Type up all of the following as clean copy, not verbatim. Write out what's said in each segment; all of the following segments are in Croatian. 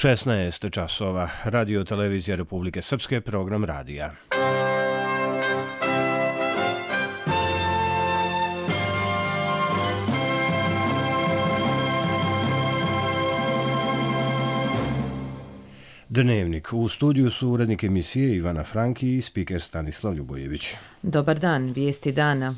16 časova. Radio Televizija Republike Srpske, program radija. Dnevnik. U studiju su urednik emisije Ivana Franki i spiker Stanislav Ljubojević. Dobar dan, vijesti dana.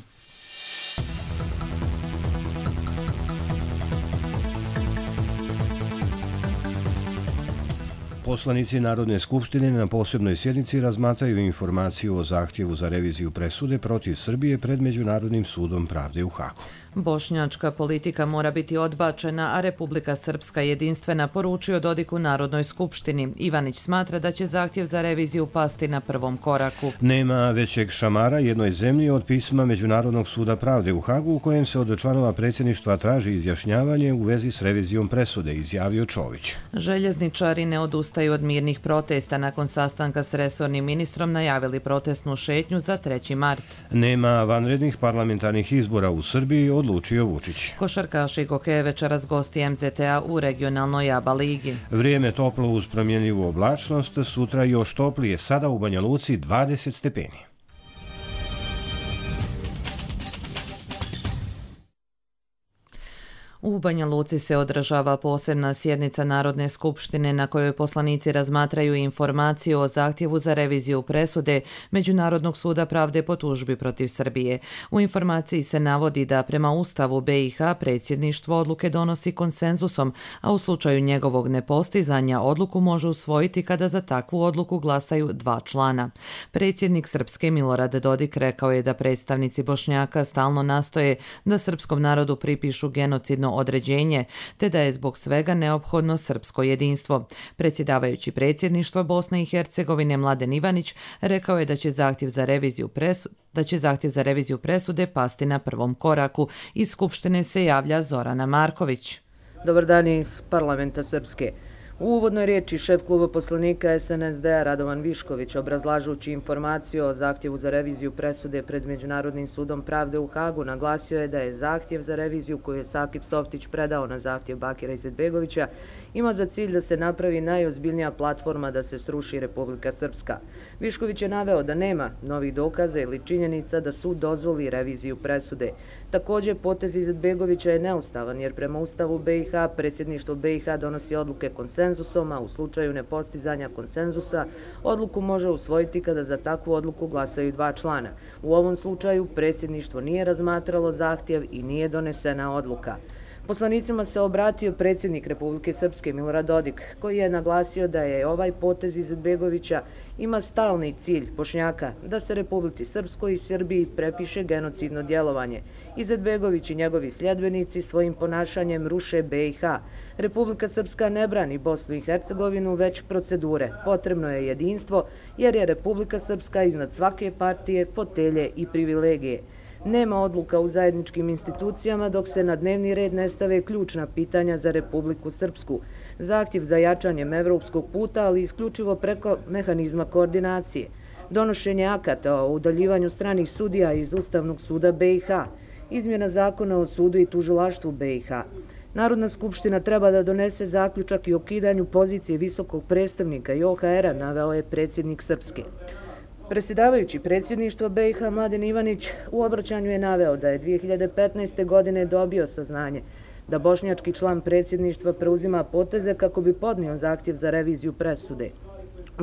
Poslanici Narodne skupštine na posebnoj sjednici razmatraju informaciju o zahtjevu za reviziju presude protiv Srbije pred Međunarodnim sudom pravde u Hagu. Bošnjačka politika mora biti odbačena, a Republika Srpska jedinstvena, poručio Dodik u Narodnoj skupštini. Ivanić smatra da će zahtjev za reviziju pasti na prvom koraku. Nema većeg šamara jednoj zemlji od pisma Međunarodnog suda pravde u Hagu u kojem se od članova predsjedništva traži izjašnjavanje u vezi s revizijom presude, izjavio Čović. Željezničari ne odustaju od mirnih protesta. Nakon sastanka s resornim ministrom najavili protestnu šetnju za 3. mart. Nema vanrednih parlamentarnih izbora u Srbiji, odlučio Vučić. Košarkaši Gokeje večeras gosti MZTA u regionalnoj ABA ligi. Vrijeme toplo uz promjenljivu oblačnost, sutra još toplije, sada u Banja Luci 20 stepeni. U Banja Luci se održava posebna sjednica Narodne skupštine na kojoj poslanici razmatraju informaciju o zahtjevu za reviziju presude Međunarodnog suda pravde po tužbi protiv Srbije. U informaciji se navodi da prema Ustavu BiH predsjedništvo odluke donosi konsenzusom, a u slučaju njegovog nepostizanja odluku može usvojiti kada za takvu odluku glasaju 2 člana. Predsjednik Srpske Milorad Dodik rekao je da predstavnici Bošnjaka stalno nastoje da srpskom narodu pripišu genocidno određenje, te da je zbog svega neophodno srpsko jedinstvo. Predsjedavajući predsjedništva Bosne i Hercegovine Mladen Ivanić rekao je da će zahtjev za reviziju presude pasti na prvom koraku. Iz Skupštine se javlja Zorana Marković. Dobar dan iz parlamenta Srpske. U uvodnoj riječi šef kluba poslanika SNSD-a Radovan Višković, obrazlažući informaciju o zahtjevu za reviziju presude pred Međunarodnim sudom pravde u Hagu, naglasio je da je zahtjev za reviziju koju je Sakip Softić predao na zahtjev Bakira Izetbegovića ima za cilj da se napravi najozbiljnija platforma da se sruši Republika Srpska. Višković je naveo da nema novih dokaza ili činjenica da sud dozvoli reviziju presude. Također, potez Izetbegovića je neustavan jer prema Ustavu BiH predsjedništvo BiH donosi odluke konsenzusom, a u slučaju nepostizanja konsenzusa odluku može usvojiti kada za takvu odluku glasaju 2 člana. U ovom slučaju predsjedništvo nije razmatralo zahtjev i nije donesena odluka. Poslanicima se obratio predsjednik Republike Srpske Milorad Dodik, koji je naglasio da je ovaj potez Izetbegovića ima stalni cilj Bošnjaka da se Republici Srpskoj i Srbiji prepiše genocidno djelovanje. Izetbegović i njegovi sljedbenici svojim ponašanjem ruše BiH. Republika Srpska ne brani Bosnu i Hercegovinu, već procedure. Potrebno je jedinstvo jer je Republika Srpska iznad svake partije, fotelje i privilegije. Nema odluka u zajedničkim institucijama dok se na dnevni red ne stave ključna pitanja za Republiku Srpsku. Zahtjev za jačanjem evropskog puta, ali isključivo preko mehanizma koordinacije. Donošenje akata o udaljivanju stranih sudija iz Ustavnog suda BiH. Izmjena zakona o sudu i tužilaštvu BiH. Narodna skupština treba da donese zaključak i o ukidanju pozicije visokog predstavnika i OHR-a, naveo je predsjednik Srpske. Predsjedavajući predsjedništvo BiH Mladen Ivanić u obraćanju je naveo da je 2015. godine dobio saznanje da bošnjački član predsjedništva preuzima poteze kako bi podnio zahtjev za reviziju presude.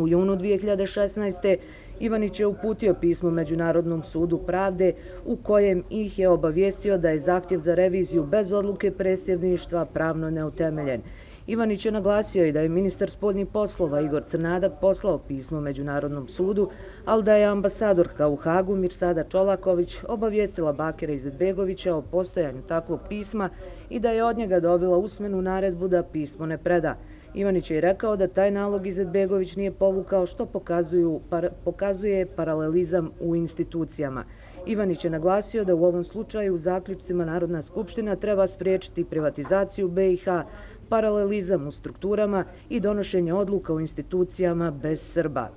U junu 2016. Ivanić je uputio pismo Međunarodnom sudu pravde u kojem ih je obavijestio da je zahtjev za reviziju bez odluke predsjedništva pravno neutemeljen. Ivanić je naglasio i da je ministar spoljnih poslova Igor Crnadak poslao pismo Međunarodnom sudu, ali da je ambasadorka u Hagu Mirsada Čolaković obavijestila Bakira Izetbegovića o postojanju takvog pisma i da je od njega dobila usmenu naredbu da pismo ne preda. Ivanić je rekao da taj nalog Izetbegović nije povukao, što pokazuje paralelizam u institucijama. Ivanić je naglasio da u ovom slučaju zaključcima Narodna skupština treba spriječiti privatizaciju BiH, paralelizam u strukturama i donošenje odluka u institucijama bez Srba.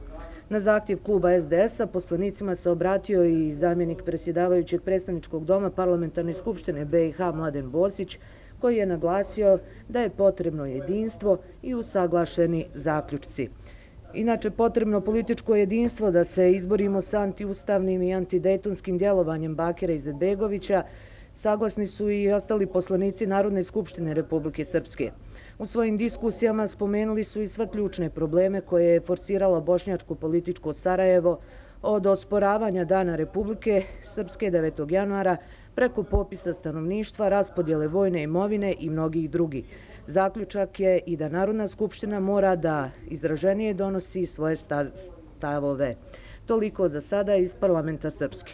Na zahtjev kluba SDS-a poslanicima se obratio i zamjenik predsjedavajućeg predstavničkog doma Parlamentarne skupštine BiH Mladen Bosić, koji je naglasio da je potrebno jedinstvo i usaglašeni zaključci. Inače, potrebno političko jedinstvo da se izborimo sa antiustavnim i antidejtonskim djelovanjem Bakira Izetbegovića, saglasni su i ostali poslanici Narodne skupštine Republike Srpske. U svojim diskusijama spomenuli su i sve ključne probleme koje je forsiralo bošnjačko političko Sarajevo od osporavanja Dana Republike Srpske 9. januara preko popisa stanovništva, raspodjele vojne imovine i mnogih drugih. Zaključak je i da Narodna skupština mora da izraženije donosi svoje stavove. Toliko za sada iz parlamenta Srpske.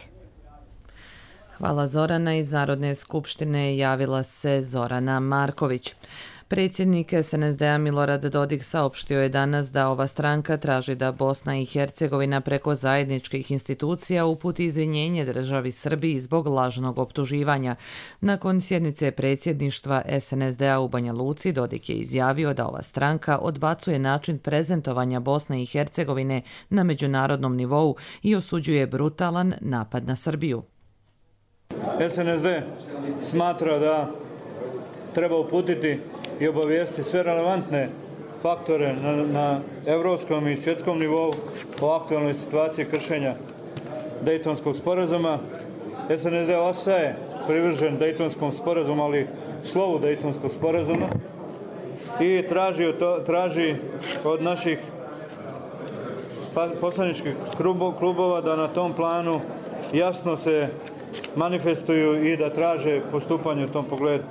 Hvala Zorana. Iz Narodne skupštine javila se Zorana Marković. Predsjednik SNSD-a Milorad Dodik saopštio je danas da ova stranka traži da Bosna i Hercegovina preko zajedničkih institucija uputi izvinjenje državi Srbiji zbog lažnog optuživanja. Nakon sjednice predsjedništva SNSD-a u Banja Luci, Dodik je izjavio da ova stranka odbacuje način prezentovanja Bosne i Hercegovine na međunarodnom nivou i osuđuje brutalan napad na Srbiju. SNSD smatra da treba uputiti i obavijesti sve relevantne faktore na evropskom i svjetskom nivou o aktualnoj situaciji kršenja Dejtonskog sporazuma. SNSD ostaje privržen Dejtonskom sporazumu, ali slovu Dejtonskog sporazuma i traži od naših poslaničkih klubova da na tom planu jasno se manifestuju i da traže postupanje u tom pogledu.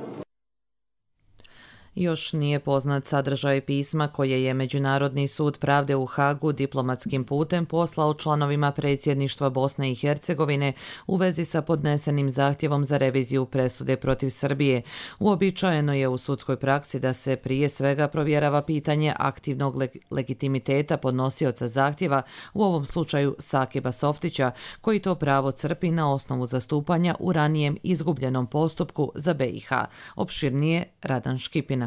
Još nije poznat sadržaj pisma koje je Međunarodni sud pravde u Hagu diplomatskim putem poslao članovima predsjedništva Bosne i Hercegovine u vezi sa podnesenim zahtjevom za reviziju presude protiv Srbije. Uobičajeno je u sudskoj praksi da se prije svega provjerava pitanje aktivnog legitimiteta podnosioca zahtjeva, u ovom slučaju Sakiba Softića, koji to pravo crpi na osnovu zastupanja u ranijem izgubljenom postupku za BiH. Opširnije Radan Škipina.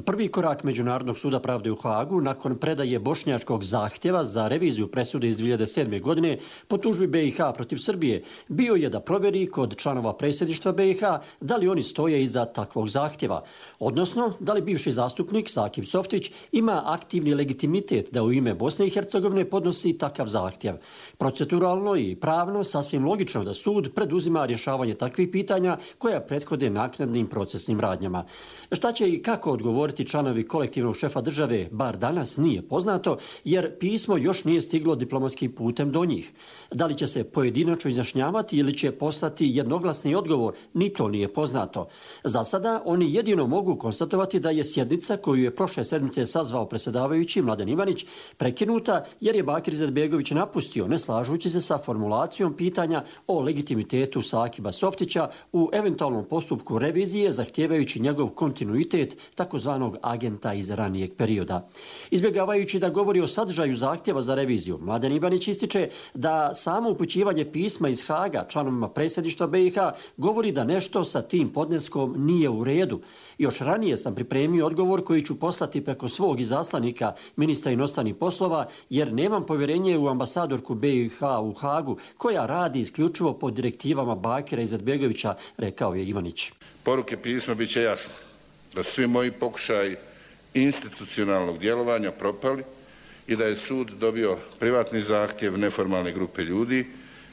Prvi korak Međunarodnog suda pravde u Hagu nakon predaje bošnjačkog zahtjeva za reviziju presude iz 2007. godine po tužbi BiH protiv Srbije bio je da provjeri kod članova predsjedništva BiH da li oni stoje iza takvog zahtjeva, odnosno da li bivši zastupnik Sakib Softić ima aktivni legitimitet da u ime Bosne i Hercegovine podnosi takav zahtjev. Proceduralno i pravno sasvim logično da sud preduzima rješavanje takvih pitanja koja prethode naknadnim procesnim radnjama. Šta će i kako odgovoriti članovi kolektivnog šefa države, bar danas nije poznato, jer pismo još nije stiglo diplomatskim putem do njih. Da li će se pojedinačno izjašnjavati ili će poslati jednoglasni odgovor, ni to nije poznato. Za sada oni jedino mogu konstatovati da je sjednica koju je prošle sedmice sazvao predsjedavajući Mladen Ivanić prekinuta jer je Bakir Izetbegović napustio, ne slažući se sa formulacijom pitanja o legitimitetu Sakiba Softića u eventualnom postupku revizije zahtijevajući njegov kontinuitet takozvanog agenta iz ranijeg perioda. Izbjegavajući da govori o sadržaju zahtjeva za reviziju, Mladen Ivanić ističe da samo upućivanje pisma iz Haga članovima predsjedništva BiH govori da nešto sa tim podneskom nije u redu. Još ranije sam pripremio odgovor koji ću poslati preko svog izaslanika ministra inostranih poslova jer nemam povjerenje u ambasadorku BiH u Hagu koja radi isključivo po direktivama Bakira Izetbegovića, rekao je Ivanić. Poruke pisma bit će jasne da svi moji pokušaji institucionalnog djelovanja propali i da je sud dobio privatni zahtjev neformalne grupe ljudi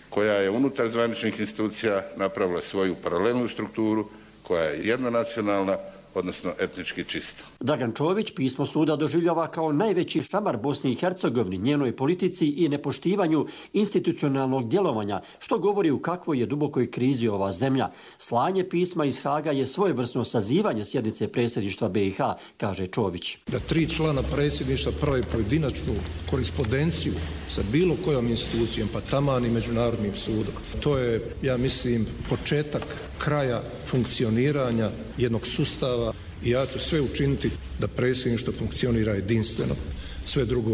koja je unutar zvaničnih institucija napravila svoju paralelnu strukturu koja je jednonacionalna, odnosno etnički čista. Dragan Čović pismo suda doživljava kao najveći šamar Bosni i Hercegovini, njenoj politici i nepoštivanju institucionalnog djelovanja, što govori u kakvoj je dubokoj krizi ova zemlja. Slanje pisma iz Haga je svojevrsno sazivanje sjednice predsjedništva BiH, kaže Čović. Da 3 člana predsjedništva prave pojedinačnu korespondenciju sa bilo kojom institucijom, pa taman i Međunarodnim sudom. To je, ja mislim, početak kraja funkcioniranja jednog sustava i ja ću sve učiniti da predsjedništvo funkcionira jedinstveno. Sve drugo,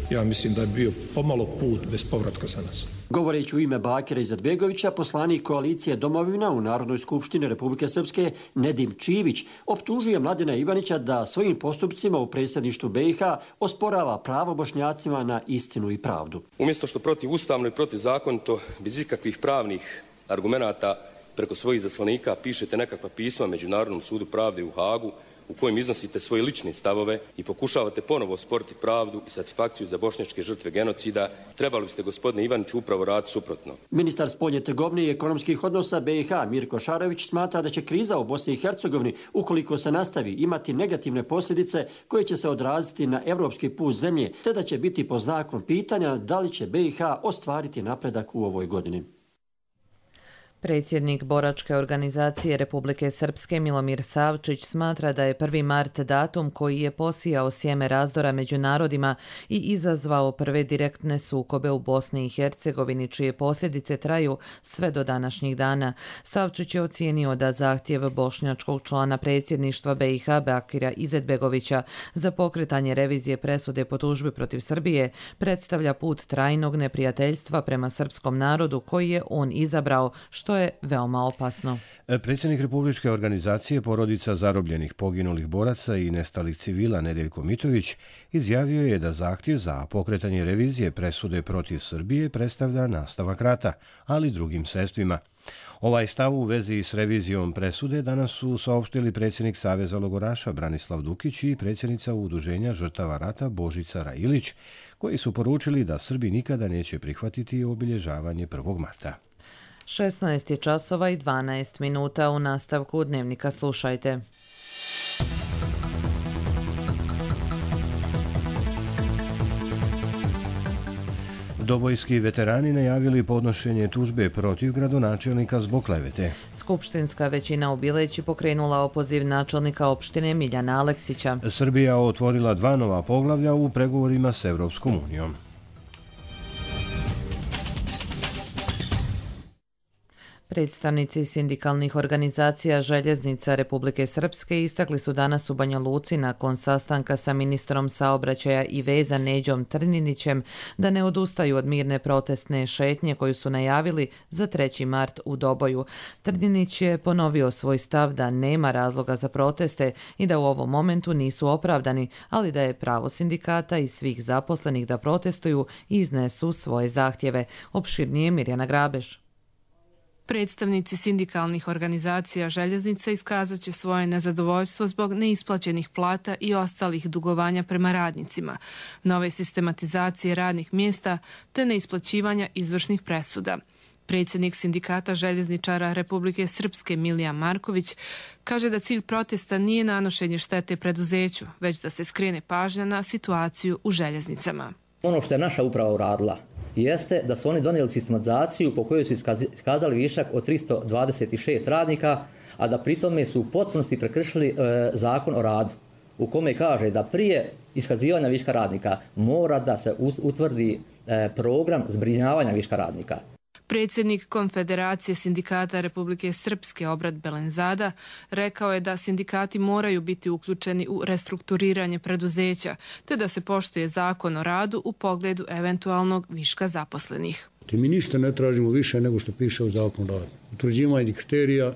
ja mislim da je bio pomalo put bez povratka za nas. Govoreći u ime Bakira Izetbegovića, poslanik koalicije Domovina u Narodnoj skupštini Republike Srpske Nedim Čivić optužuje Mladena Ivanića da svojim postupcima u predsjedništvu BiH osporava pravo Bošnjacima na istinu i pravdu. Umjesto što protivustavno i protizakonito, bez ikakvih pravnih argumenata preko svojih zaslanika pišete nekakva pisma Međunarodnom sudu pravde u Hagu u kojem iznosite svoje lične stavove i pokušavate ponovo sporiti pravdu i satisfakciju za bošnjačke žrtve genocida, trebali biste, gospodine Ivaniću, upravo raditi suprotno. Ministar spoljne trgovine i ekonomskih odnosa BiH Mirko Šarović smatra da će kriza u Bosni i Hercegovini, ukoliko se nastavi, imati negativne posljedice koje će se odraziti na evropski put zemlje, te da će biti pod znakom pitanja da li će BiH ostvariti napredak u ovoj godini. Predsjednik boračke organizacije Republike Srpske Milomir Savčić smatra da je 1. mart datum koji je posijao sjeme razdora među narodima i izazvao prve direktne sukobe u Bosni i Hercegovini, čije posljedice traju sve do današnjih dana. Savčić je ocijenio da zahtjev bošnjačkog člana predsjedništva BiH Bakira Izetbegovića za pokretanje revizije presude po tužbi protiv Srbije predstavlja put trajnog neprijateljstva prema srpskom narodu koji je on izabrao, što je veoma opasno. Predsjednik Republičke organizacije porodica zarobljenih poginulih boraca i nestalih civila Nedeljko Mitović izjavio je da zahtjev za pokretanje revizije presude protiv Srbije predstavlja nastavak rata, ali drugim sredstvima. Ovaj stav u vezi s revizijom presude danas su saopštili predsjednik Saveza logoraša Branislav Dukić i predsjednica Udruženja žrtava rata Božica Railić, koji su poručili da Srbi nikada neće prihvatiti obilježavanje 1. marta. 16 časova i 12 minuta u nastavku Dnevnika slušajte. Dobojski veterani najavili podnošenje tužbe protiv gradonačelnika zbog klevete. Skupštinska većina u Bileći pokrenula opoziv načelnika opštine Miljana Aleksića. Srbija otvorila 2 nova poglavlja u pregovorima s Evropskom unijom. Predstavnici sindikalnih organizacija Željeznica Republike Srpske istakli su danas u Banja Luci nakon sastanka sa ministrom saobraćaja i veza Neđom Trninićem da ne odustaju od mirne protestne šetnje koju su najavili za 3. mart u Doboju. Trninić je ponovio svoj stav da nema razloga za proteste i da u ovom momentu nisu opravdani, ali da je pravo sindikata i svih zaposlenih da protestuju i iznesu svoje zahtjeve. Opširnije Mirjana Grabeš. Predstavnici sindikalnih organizacija Željeznica iskazat će svoje nezadovoljstvo zbog neisplaćenih plata i ostalih dugovanja prema radnicima, nove sistematizacije radnih mjesta te neisplaćivanja izvršnih presuda. Predsjednik sindikata željezničara Republike Srpske Milija Marković kaže da cilj protesta nije nanošenje štete preduzeću, već da se skrene pažnja na situaciju u željeznicama. Ono što je naša uprava uradila jeste da su oni donijeli sistematizaciju po kojoj su iskazali višak od 326 radnika, a da pritome su u potpunosti prekršili zakon o radu, u kome kaže da prije iskazivanja viška radnika mora da se utvrdi program zbrinjavanja viška radnika. Predsjednik Konfederacije sindikata Republike Srpske Obrad Belenzada rekao je da sindikati moraju biti uključeni u restrukturiranje preduzeća, te da se poštuje zakon o radu u pogledu eventualnog viška zaposlenih. Mi ništa ne tražimo više nego što piše u zakonu o radu. Utvrđivanje kriterija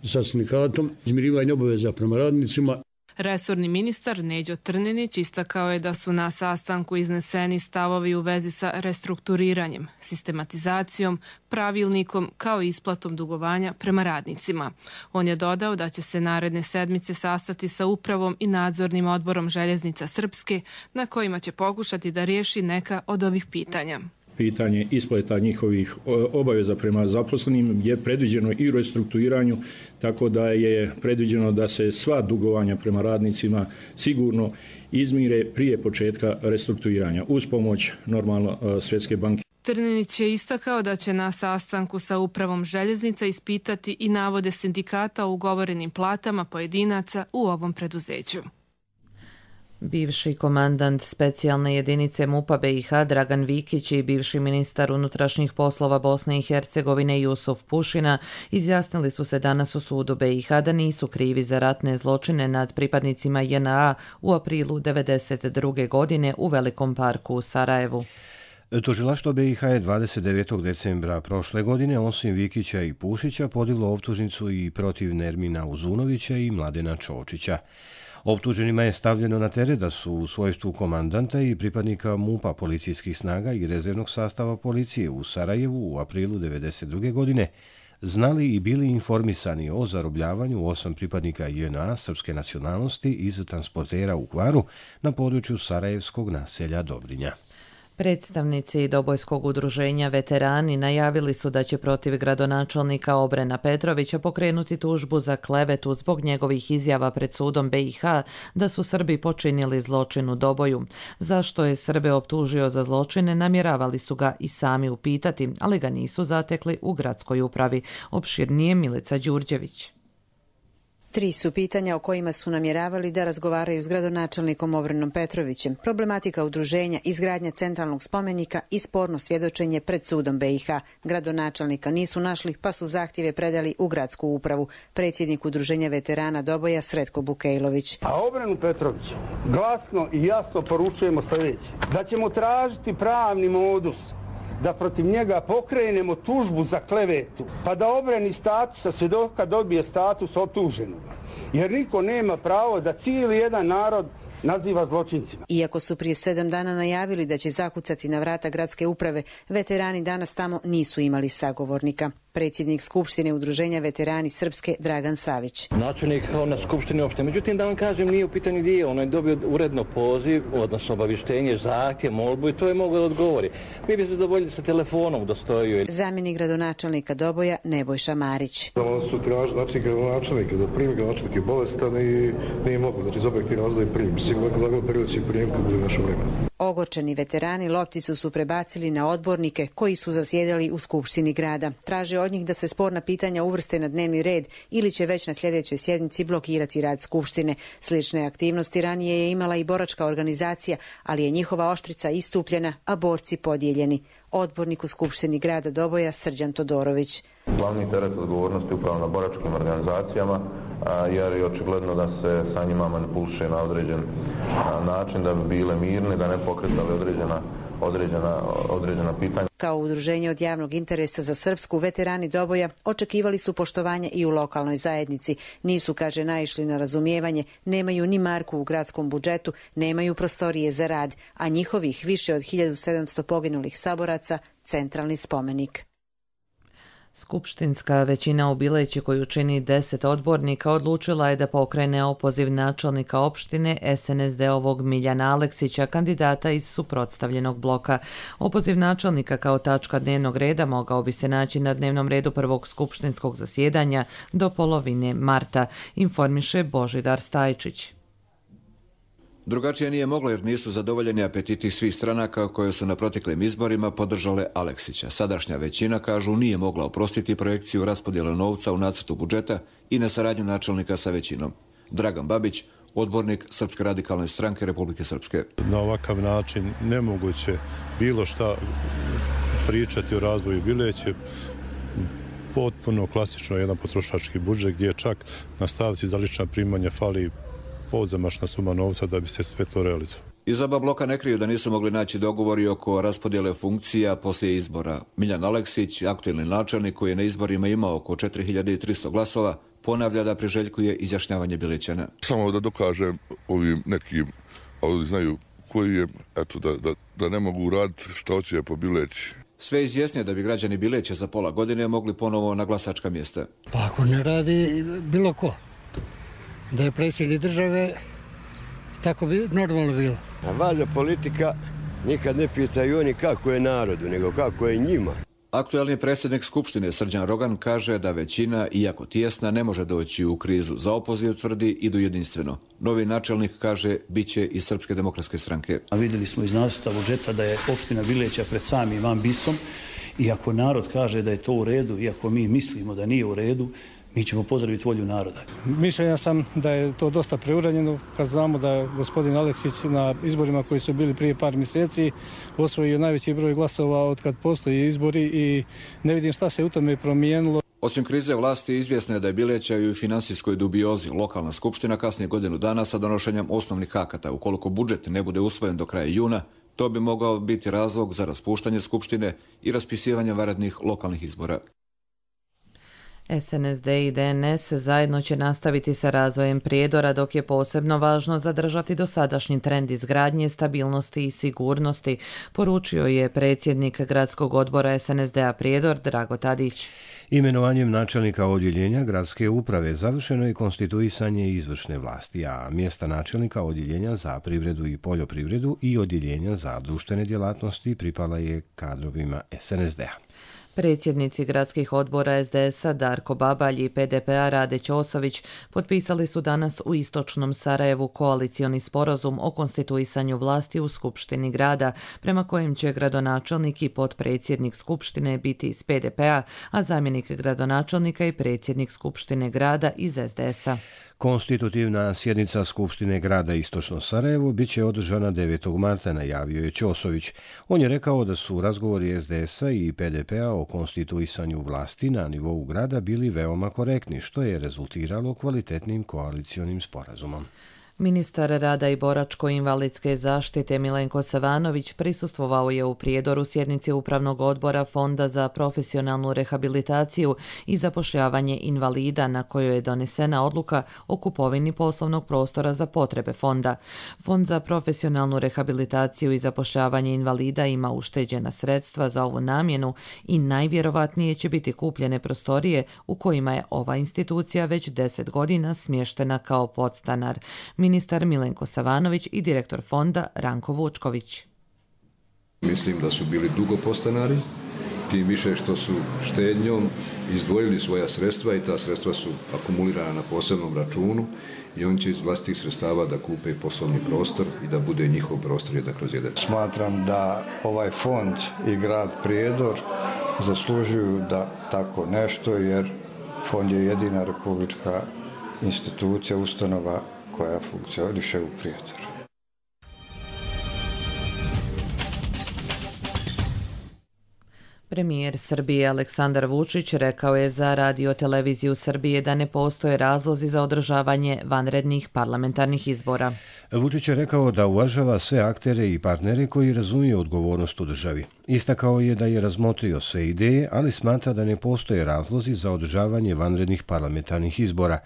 sa sindikatom, izmirivanje obaveza prema radnicima. Resorni ministar Neđo Trninić istakao je da su na sastanku izneseni stavovi u vezi sa restrukturiranjem, sistematizacijom, pravilnikom kao i isplatom dugovanja prema radnicima. On je dodao da će se naredne sedmice sastati sa upravom i nadzornim odborom Željeznica Srpske, na kojima će pokušati da riješi neka od ovih pitanja. Pitanje isplata njihovih obaveza prema zaposlenim je predviđeno i u restrukturiranju, tako da je predviđeno da se sva dugovanja prema radnicima sigurno izmire prije početka restrukturiranja uz pomoć normalno Svjetske banke. Trninić je istakao da će na sastanku sa upravom Željeznica ispitati i navode sindikata o ugovorenim platama pojedinaca u ovom preduzeću. Bivši komandant specijalne jedinice MUP-a BiH Dragan Vikić i bivši ministar unutrašnjih poslova Bosne i Hercegovine Jusuf Pušina izjasnili su se danas u sudu BiH da nisu krivi za ratne zločine nad pripadnicima JNA u aprilu 1992. godine u Velikom parku u Sarajevu. Tužilaštvo BiH je 29. decembra prošle godine osim Vikića i Pušića podiglo optužnicu i protiv Nermina Uzunovića i Mladena Čočića. Optuženima je stavljeno na teret da su u svojstvu komandanta i pripadnika MUP-a policijskih snaga i rezervnog sastava policije u Sarajevu u aprilu 1992. godine znali i bili informisani o zarobljavanju 8 pripadnika JNA srpske nacionalnosti iz transportera u Hvaru na području sarajevskog naselja Dobrinja. Predstavnici Dobojskog udruženja Veterani najavili su da će protiv gradonačelnika Obrena Petrovića pokrenuti tužbu za klevetu zbog njegovih izjava pred sudom BiH da su Srbi počinili zločin u Doboju. Zašto je Srbe optužio za zločine, namjeravali su ga i sami upitati, ali ga nisu zatekli u gradskoj upravi. Opširnije Milica Đurđević. 3 su pitanja o kojima su namjeravali da razgovaraju s gradonačelnikom Obrenom Petrovićem. Problematika udruženja, izgradnja centralnog spomenika i sporno svjedočenje pred sudom BiH. Gradonačelnika nisu našli, pa su zahtjeve predali u gradsku upravu. Predsjednik udruženja veterana Doboja Sretko Bukejlović. A Obrenu Petrović glasno i jasno poručujemo sljedeće. Da ćemo tražiti pravni modus da protiv njega pokrenemo tužbu za klevetu, pa da obrani statusa svjedoka dobije status optuženog. Jer niko nema pravo da cijeli jedan narod naziva zločincima. Iako su prije 7 dana najavili da će zakucati na vrata gradske uprave, veterani danas tamo nisu imali sagovornika. Predsjednik Skupštine udruženja Veterani Srpske Dragan Savić. Načelnik na Skupštini opšte. Međutim, da vam kažem, nije u pitanju gdje. On je dobio uredno poziv, odnosno obavještenje, zahtjev, molbu i to je mogao da odgovori. Mi bi se zadovoljili sa telefonom da stoji. Zamjenik gradonačelnika Doboja Nebojša Marić. On su tražili gradonačelnika da primi gradonačelnik je bolestan i nije mogu. Znači, iz objektivne razloga primi. Sigurno da priliči prijem kad bude naše vreme. Ogorčeni veterani lopticu su prebacili na odbornike koji su zasjedali u Skupštini grada. Traže od njih da se sporna pitanja uvrste na dnevni red ili će već na sljedećoj sjednici blokirati rad Skupštine. Slične aktivnosti ranije je imala i boračka organizacija, ali je njihova oštrica istupljena, a borci podijeljeni. Odbornik u Skupštini grada Doboja Srđan Todorović. Glavni teret odgovornosti upravo na boračkim organizacijama, jer je očigledno da se sa njima manipuliše na određen način da bi bile mirne, da ne pokretali određena pitanja. Kao udruženje od javnog interesa za Srpsku, veterani Doboja očekivali su poštovanje i u lokalnoj zajednici. Nisu, kaže, naišli na razumijevanje, nemaju ni marku u gradskom budžetu, nemaju prostorije za rad, a njihovih više od 1700 poginulih saboraca centralni spomenik. Skupštinska većina u Bileći, koju čini 10 odbornika, odlučila je da pokrene opoziv načelnika opštine SNSD-ovog Miljana Aleksića, kandidata iz suprotstavljenog bloka. Opoziv načelnika kao tačka dnevnog reda mogao bi se naći na dnevnom redu prvog skupštinskog zasjedanja do polovine marta, informiše Božidar Stajčić. Drugačije nije moglo jer nisu zadovoljeni apetiti svih stranaka koje su na proteklim izborima podržale Aleksića. Sadašnja većina, kažu, nije mogla oprostiti projekciju raspodjele novca u nacrtu budžeta i nesaradnju načelnika sa većinom. Dragan Babić, odbornik Srpske radikalne stranke Republike Srpske. Na ovakav način nemoguće bilo šta pričati o razvoju Bileće. Potpuno klasično jedan potrošački budžet gdje čak na stavci za lična primanja fali podzemašna suma novca da bi se sve to realizovalo. Iz oba bloka ne kriju da nisu mogli naći dogovori oko raspodjele funkcija poslije izbora. Miljan Aleksić, aktuelni načelnik koji je na izborima imao oko 4300 glasova, ponavlja da priželjkuje izjašnjavanje Bilećana. Samo da dokažem ovim nekim, ali znaju koji je, eto, da ne mogu raditi što hoće po Bileći. Sve izjasnije da bi građani Bileća za pola godine mogli ponovo na glasačka mjesta. Pa ako ne radi bilo ko, da je predsjednik države, tako bi normalno bilo. A valjda politika nikad ne pitaju oni kako je narodu, nego kako je njima. Aktuelni predsjednik Skupštine Srđan Rogan kaže da većina, iako tijesna, ne može doći u krizu. Za opoziv tvrdi idu jedinstveno. Novi načelnik kaže biće iz Srpske demokratske stranke. A vidjeli smo iz nacrta budžeta da je opština Bileća pred samim ambisom i ako narod kaže da je to u redu, iako mi mislimo da nije u redu, mi ćemo pozdraviti volju naroda. Mišljenja sam da je to dosta preuranjeno kad znamo da gospodin Aleksić na izborima koji su bili prije par mjeseci osvojio najveći broj glasova od kad postoji izbori i ne vidim šta se u tome promijenilo. Osim krize vlasti, izvjesno je da je Bileća i u finansijskoj dubiozi. Lokalna skupština kasnije godinu dana sa donošenjem osnovnih akata. Ukoliko budžet ne bude usvojen do kraja juna, to bi mogao biti razlog za raspuštanje skupštine i raspisivanje vanrednih lokalnih izbora. SNSD i DNS zajedno će nastaviti sa razvojem Prijedora, dok je posebno važno zadržati dosadašnji trend izgradnje, stabilnosti i sigurnosti, poručio je predsjednik gradskog odbora SNSD-a Prijedor Drago Tadić. Imenovanjem načelnika odjeljenja gradske uprave završeno je konstituisanje izvršne vlasti, a mjesta načelnika odjeljenja za privredu i poljoprivredu i odjeljenja za društvene djelatnosti pripala je kadrovima SNSD-a. Predsjednici gradskih odbora SDS-a Darko Babalj i PDP-a Rade Ćosović potpisali su danas u istočnom Sarajevu koalicioni sporazum o konstituisanju vlasti u Skupštini grada, prema kojem će gradonačelnik i potpredsjednik Skupštine biti iz PDP-a, a zamjenik gradonačelnika i predsjednik Skupštine grada iz SDS-a. Konstitutivna sjednica Skupštine grada Istočno Sarajevo bit će održana 9. marta, najavio je Ćosović. On je rekao da su razgovori SDS-a i PDP-a o konstituisanju vlasti na nivou grada bili veoma korektni, što je rezultiralo kvalitetnim koalicionim sporazumom. Ministar rada i boračko-invalidske zaštite Milenko Savanović prisustvovao je u Prijedoru sjednici Upravnog odbora Fonda za profesionalnu rehabilitaciju i zapošljavanje invalida, na kojoj je donesena odluka o kupovini poslovnog prostora za potrebe fonda. Fond za profesionalnu rehabilitaciju i zapošljavanje invalida ima ušteđena sredstva za ovu namjenu i najvjerovatnije će biti kupljene prostorije u kojima je ova institucija već 10 godina smještena kao podstanar. Ministar Milenko Savanović i direktor fonda Ranko Vučković. Mislim da su bili dugo podstanari, tim više što su štednjom izdvojili svoja sredstva i ta sredstva su akumulirana na posebnom računu i oni će iz vlastitih sredstava da kupe poslovni prostor i da bude njihov prostor 1/1. Smatram da ovaj fond i grad Prijedor zaslužuju da tako nešto, jer fond je jedina republička institucija, ustanova koja funkcioniše u Prijedoru. Premijer Srbije Aleksandar Vučić rekao je za Radio-televiziju Srbije da ne postoje razlozi za održavanje vanrednih parlamentarnih izbora. Vučić je rekao da uvažava sve aktere i partnere koji razumiju odgovornost u državi. Istakao je da je razmotrio sve ideje, ali smatra da ne postoje razlozi za održavanje vanrednih parlamentarnih izbora.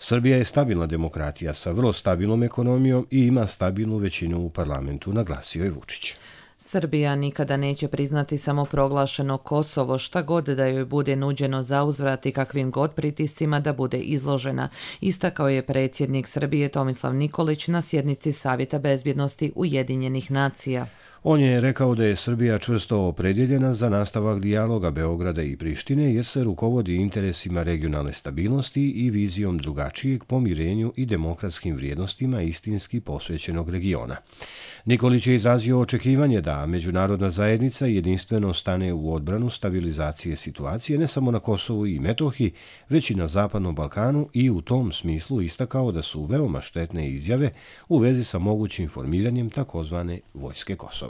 Srbija je stabilna demokratija sa vrlo stabilnom ekonomijom i ima stabilnu većinu u parlamentu, naglasio je Vučić. Srbija nikada neće priznati samoproglašeno Kosovo, šta god da joj bude nuđeno za uzvrat i kakvim god pritiscima da bude izložena, istakao je predsjednik Srbije Tomislav Nikolić na sjednici Savjeta bezbjednosti Ujedinjenih nacija. On je rekao da je Srbija čvrsto opredjeljena za nastavak dijaloga Beograda i Prištine jer se rukovodi interesima regionalne stabilnosti i vizijom drugačijeg pomirenju i demokratskim vrijednostima istinski posvećenog regiona. Nikolić je izrazio očekivanje da međunarodna zajednica jedinstveno stane u odbranu stabilizacije situacije ne samo na Kosovu i Metohiji, već i na Zapadnom Balkanu i u tom smislu istakao da su veoma štetne izjave u vezi sa mogućim formiranjem takozvane vojske Kosova.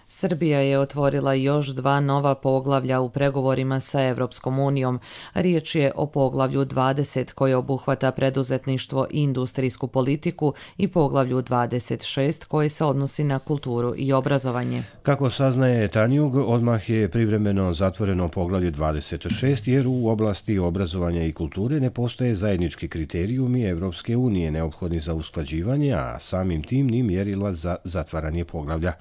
Srbija je otvorila još 2 nova poglavlja u pregovorima sa Evropskom unijom. Riječ je o poglavlju 20 koje obuhvata preduzetništvo i industrijsku politiku i poglavlju 26 koje se odnosi na kulturu i obrazovanje. Kako saznaje Tanjug, odmah je privremeno zatvoreno poglavlje 26 jer u oblasti obrazovanja i kulture ne postoje zajednički kriterijumi Evropske unije neophodni za usklađivanje, a samim tim ni mjerila za zatvaranje poglavlja.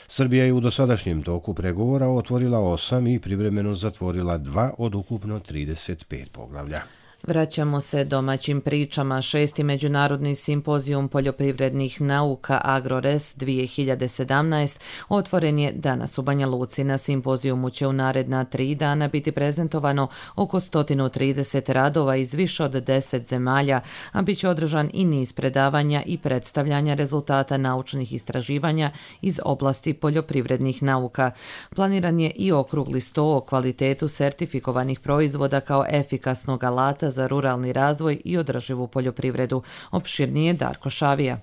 Srbija je u dosadašnjem toku pregovora otvorila 8 i privremeno zatvorila 2 od ukupno 35 poglavlja. Vraćamo se domaćim pričama. 6. međunarodni simpozijum poljoprivrednih nauka AgroRes 2017 otvoren je danas u Banja Luci. Na simpozijumu će u naredna 3 dana biti prezentovano oko 130 radova iz više od 10 zemalja, a bit će održan i niz predavanja i predstavljanja rezultata naučnih istraživanja iz oblasti poljoprivrednih nauka. Planiran je i okrugli sto o kvalitetu sertifikovanih proizvoda kao efikasnog alata za ruralni razvoj i održivu poljoprivredu. Opširnije Darko Šavija.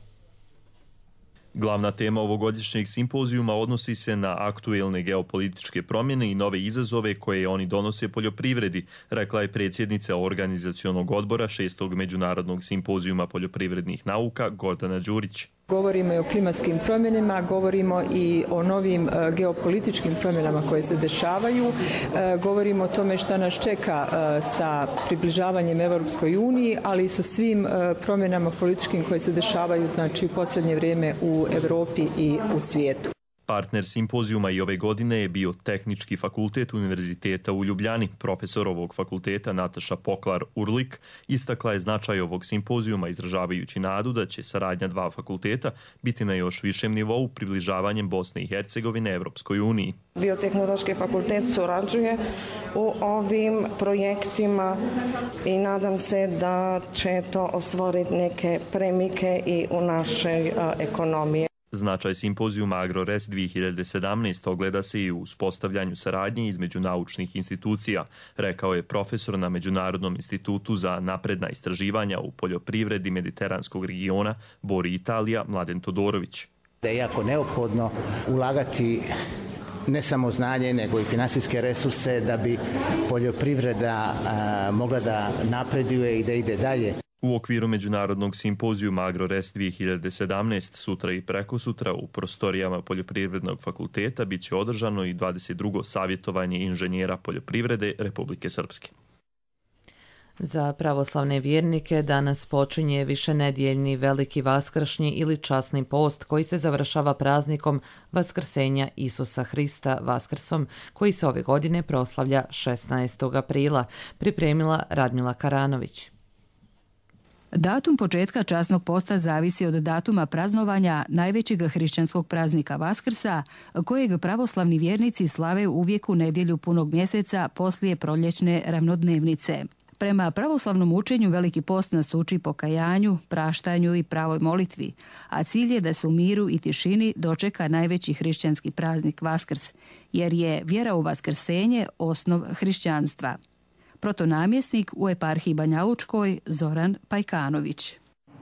Glavna tema ovogodišnjeg simpozijuma odnosi se na aktuelne geopolitičke promjene i nove izazove koje oni donose poljoprivredi, rekla je predsjednica organizacionog odbora 6. međunarodnog simpozijuma poljoprivrednih nauka Gordana Đurić. Govorimo i o klimatskim promjenama, govorimo i o novim geopolitičkim promjenama koje se dešavaju, govorimo o tome šta nas čeka sa približavanjem Europskoj uniji, ali i sa svim promjenama političkim koje se dešavaju, znači, u posljednje vrijeme u Europi i u svijetu. Partner simpozijuma i ove godine je bio Tehnički fakultet Univerziteta u Ljubljani. Profesor ovog fakulteta Nataša Poklar-Urlik istakla je značaj ovog simpozijuma izražavajući nadu da će saradnja dva fakulteta biti na još višem nivou približavanjem Bosne i Hercegovine Evropskoj uniji. Biotehnološki fakultet surađuje u ovim projektima i nadam se da će to ostvariti neke premike i u našoj ekonomiji. Značaj simpozijuma AgroRes 2017 ogleda se i u uspostavljanju saradnje između naučnih institucija, rekao je profesor na Međunarodnom institutu za napredna istraživanja u poljoprivredi mediteranskog regiona Bori Italija Mladen Todorović. Da je jako neophodno ulagati ne samo znanje, nego i finansijske resurse da bi poljoprivreda mogla da napreduje i da ide dalje. U okviru Međunarodnog simpozijuma AgroRes 2017 sutra i prekosutra u prostorijama Poljoprivrednog fakulteta bit će održano i 22. savjetovanje inženjera poljoprivrede Republike Srpske. Za pravoslavne vjernike danas počinje višenedjeljni veliki vaskršnji ili časni post koji se završava praznikom Vaskrsenja Isusa Hrista Vaskrsom, koji se ove godine proslavlja 16. aprila, pripremila Radmila Karanović. Datum početka časnog posta zavisi od datuma praznovanja najvećeg hrišćanskog praznika Vaskrsa, kojeg pravoslavni vjernici slave uvijek u nedjelju punog mjeseca poslije proljećne ravnodnevnice. Prema pravoslavnom učenju Veliki post nas uči pokajanju, praštanju i pravoj molitvi, a cilj je da se u miru i tišini dočeka najveći hrišćanski praznik Vaskrs, jer je vjera u vaskrsenje osnov hrišćanstva. Protonamjesnik u eparhiji Banjalučkoj Zoran Pajkanović.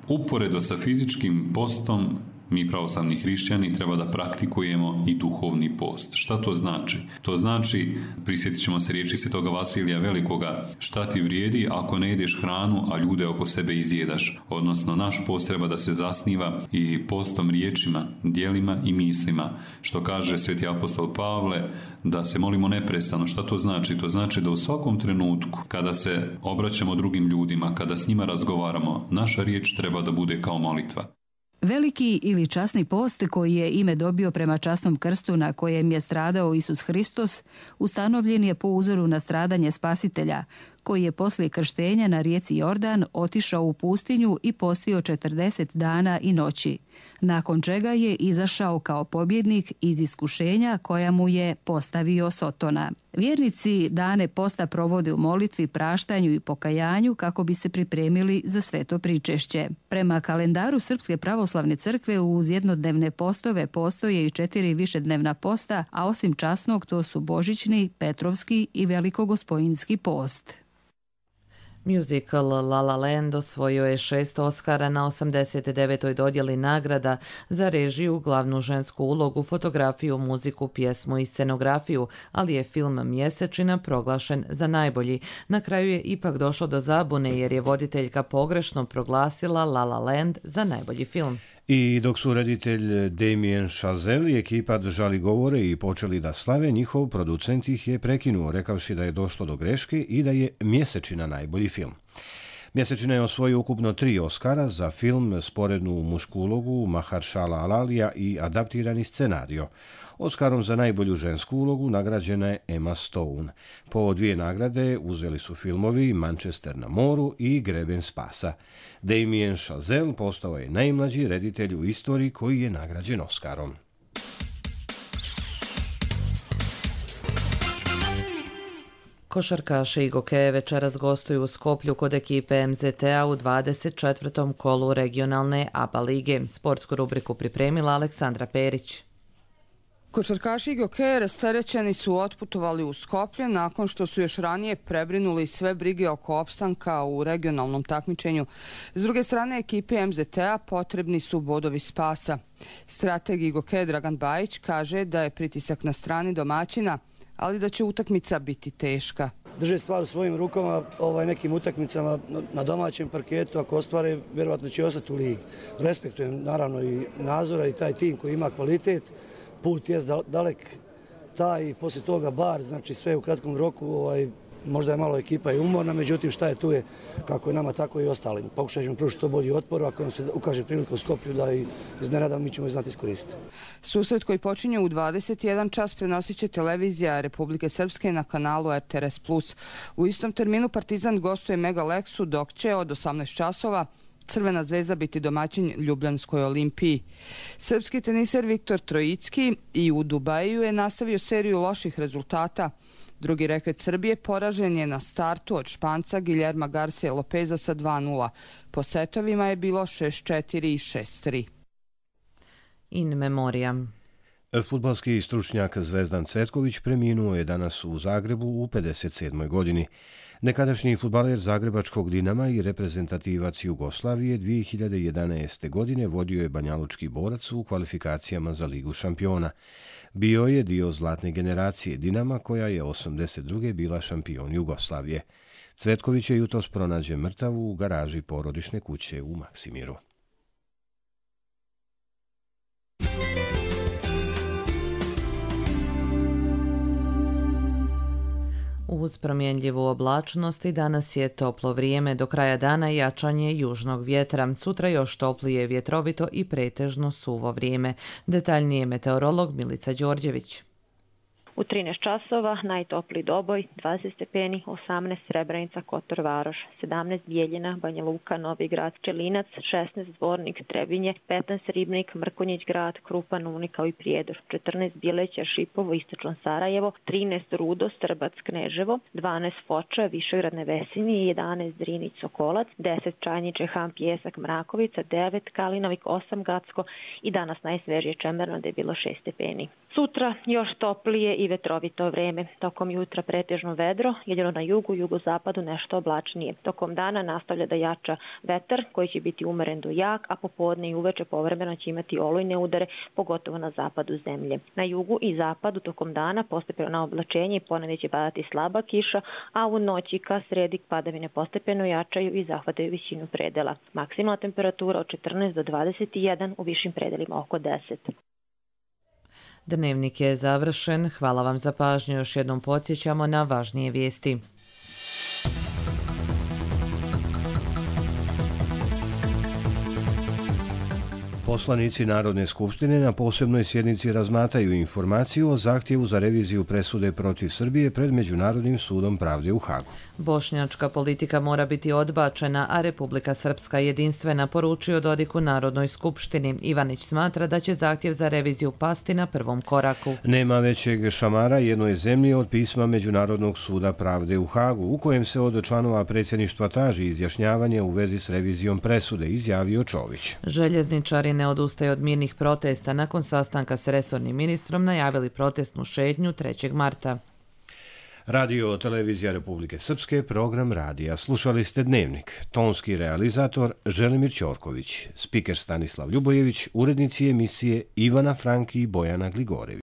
Uporedo sa fizičkim postom, mi pravoslavni hrišćani treba da praktikujemo i duhovni post. Šta to znači? To znači, prisjetit ćemo se riječi Svetoga Vasilija Velikoga, šta ti vrijedi ako ne jedeš hranu, a ljude oko sebe izjedaš. Odnosno, naš post treba da se zasniva i postom riječima, djelima i mislima. Što kaže sveti apostol Pavle, da se molimo neprestano. Šta to znači? To znači da u svakom trenutku, kada se obraćamo drugim ljudima, kada s njima razgovaramo, naša riječ treba da bude kao molitva. Veliki ili časni post, koji je ime dobio prema časnom krstu na kojem je stradao Isus Hristos, ustanovljen je po uzoru na stradanje Spasitelja, koji je poslije krštenja na rijeci Jordan otišao u pustinju i postio 40 dana i noći, nakon čega je izašao kao pobjednik iz iskušenja koja mu je postavio Sotona. Vjernici dane posta provode u molitvi, praštanju i pokajanju kako bi se pripremili za sveto pričešće. Prema kalendaru Srpske pravoslavne crkve uz jednodnevne postove postoje i 4 višednevna posta, a osim časnog to su božićni, petrovski i velikogospojinski post. Musical La La Land osvojio je 6 Oscara na 89. dodjeli nagrada za režiju, glavnu žensku ulogu, fotografiju, muziku, pjesmu i scenografiju, ali je film Mjesečina proglašen za najbolji. Na kraju je ipak došlo do zabune jer je voditeljka pogrešno proglasila La La Land za najbolji film. I dok su reditelj Damien Chazelle i ekipa držali govore i počeli da slave, njihov producent ih je prekinuo, rekavši da je došlo do greške i da je Mjesečina najbolji film. Mjesečina je osvojio ukupno 3 Oscara za film, sporednu mušku ulogu Mahershala Alalija i adaptirani scenario. Oscarom za najbolju žensku ulogu nagrađena je Emma Stone. Po 2 nagrade uzeli su filmovi Manchester na moru i Greben spasa. Damien Chazelle postao je najmlađi reditelj u istoriji koji je nagrađen Oscarom. Košarkaši i Gokeje večeras gostuju u Skoplju kod ekipe MZT-a u 24. kolu regionalne ABA lige. Sportsku rubriku pripremila Aleksandra Perić. Košarkaši i Gokeje rasterećeni su otputovali u Skoplje nakon što su još ranije prebrinuli sve brige oko opstanka u regionalnom takmičenju. S druge strane, ekipi MZT-a potrebni su bodovi spasa. Strateg Gokeje Dragan Bajić kaže da je pritisak na strani domaćina, ali da će utakmica biti teška. drže stvar u svojim rukama nekim utakmicama na domaćem parketu, ako ostvare, vjerovatno će ostati u ligi. Respektujem naravno i Nazora i taj tim koji ima kvalitet, put je dalek taj i poslije toga bar, znači sve u kratkom roku, možda je malo ekipa i umorna, međutim šta je tu je, kako je nama, tako i ostalim. Pokušat ćemo pružiti to bolji otpor, ako nam se ukaže prilika u Skoplju da i iznenada, mi ćemo znati iskoristiti. Susret koji počinje u 21 čas prenosit će televizija Republike Srpske na kanalu RTRS+. U istom terminu Partizan gostuje Mega Leksu, dok će od 18 časova Crvena zvezda biti domaćin Ljubljanskoj Olimpiji. Srpski teniser Viktor Trojicki i u Dubaju je nastavio seriju loših rezultata. Drugi reket Srbije poražen je na startu od Španca Guillerma Garcia Lopeza sa 2:0. Po setovima je bilo 6:4 i 6:3. In memoriam. Fudbalski stručnjak Zvezdan Cvetković preminuo je danas u Zagrebu u 57. godini. Nekadašnji fudbaler Zagrebačkog Dinama i reprezentativac Jugoslavije 2011. godine vodio je banjalučki Borac u kvalifikacijama za Ligu šampiona. Bio je dio zlatne generacije Dinama koja je 82. bila šampion Jugoslavije. Cvetković je jutros pronađen mrtav u garaži porodične kuće u Maksimiru. Uz promjenljivu oblačnost i danas je toplo vrijeme, do kraja dana jačanje južnog vjetra. Sutra još toplije, vjetrovito i pretežno suvo vrijeme. Detaljnije meteorolog Milica Đorđević. U 13 časova najtopliji Doboj, 20 stepeni, 18 Srebrenica, Kotor Varoš, 17 Bijeljina, Banja Luka, Novi Grad, Čelinac, 16 Zvornik, Trebinje, 15 Ribnik, Mrkonjić Grad, Krupan, Uni kao i Prijedor, 14 Bileća, Šipovo, Istočno Sarajevo, 13 Rudo, Strbac, Kneževo, 12 Foča, Višegrad, Nevesini, 11 Drinić, Sokolac, 10 Čajniče, Ham, Pjesak, Mrakovica, 9 Kalinovik, 8 Gacko i danas najsvežije Čemerno da je bilo 6 stepeni. Sutra još toplije i vetrovito vreme. Tokom jutra pretežno vedro, jedino na jugu, jugozapadu nešto oblačnije. Tokom dana nastavlja da jača vetar koji će biti umeren do jak, a popodne i uveče povremeno će imati olujne udare, pogotovo na zapadu zemlje. Na jugu i zapadu tokom dana postepeno oblačenje i ponegdje će padati slaba kiša, a u noći ka sredi padavine postepeno jačaju i zahvataju visinu predela. Maksimalna temperatura od 14 do 21, u višim predelima oko 10. Dnevnik je završen. Hvala vam za pažnju. Još jednom podsjećamo na važnije vijesti. Poslanici Narodne skupštine na posebnoj sjednici razmatraju informaciju o zahtjevu za reviziju presude protiv Srbije pred Međunarodnim sudom pravde u Hagu. Bošnjačka politika mora biti odbačena, a Republika Srpska jedinstvena, poručio Dodik u Narodnoj skupštini. Ivanić smatra da će zahtjev za reviziju pasti na prvom koraku. Nema većeg šamara jednoj zemlji od pisma Međunarodnog suda pravde u Hagu, u kojem se od članova predsjedništva traži izjašnjavanje u vezi s revizijom presude, izjavio Čović. Željezničari ne odustaje od mirnih protesta. Nakon sastanka s resornim ministrom najavili protestnu šetnju 3. marta. Radio Televizija Republike Srpske, program radija. Slušali ste Dnevnik. Tonski realizator Želimir Ćorković, spiker Stanislav Ljubojević, urednici emisije Ivana Franki i Bojana Gligorević.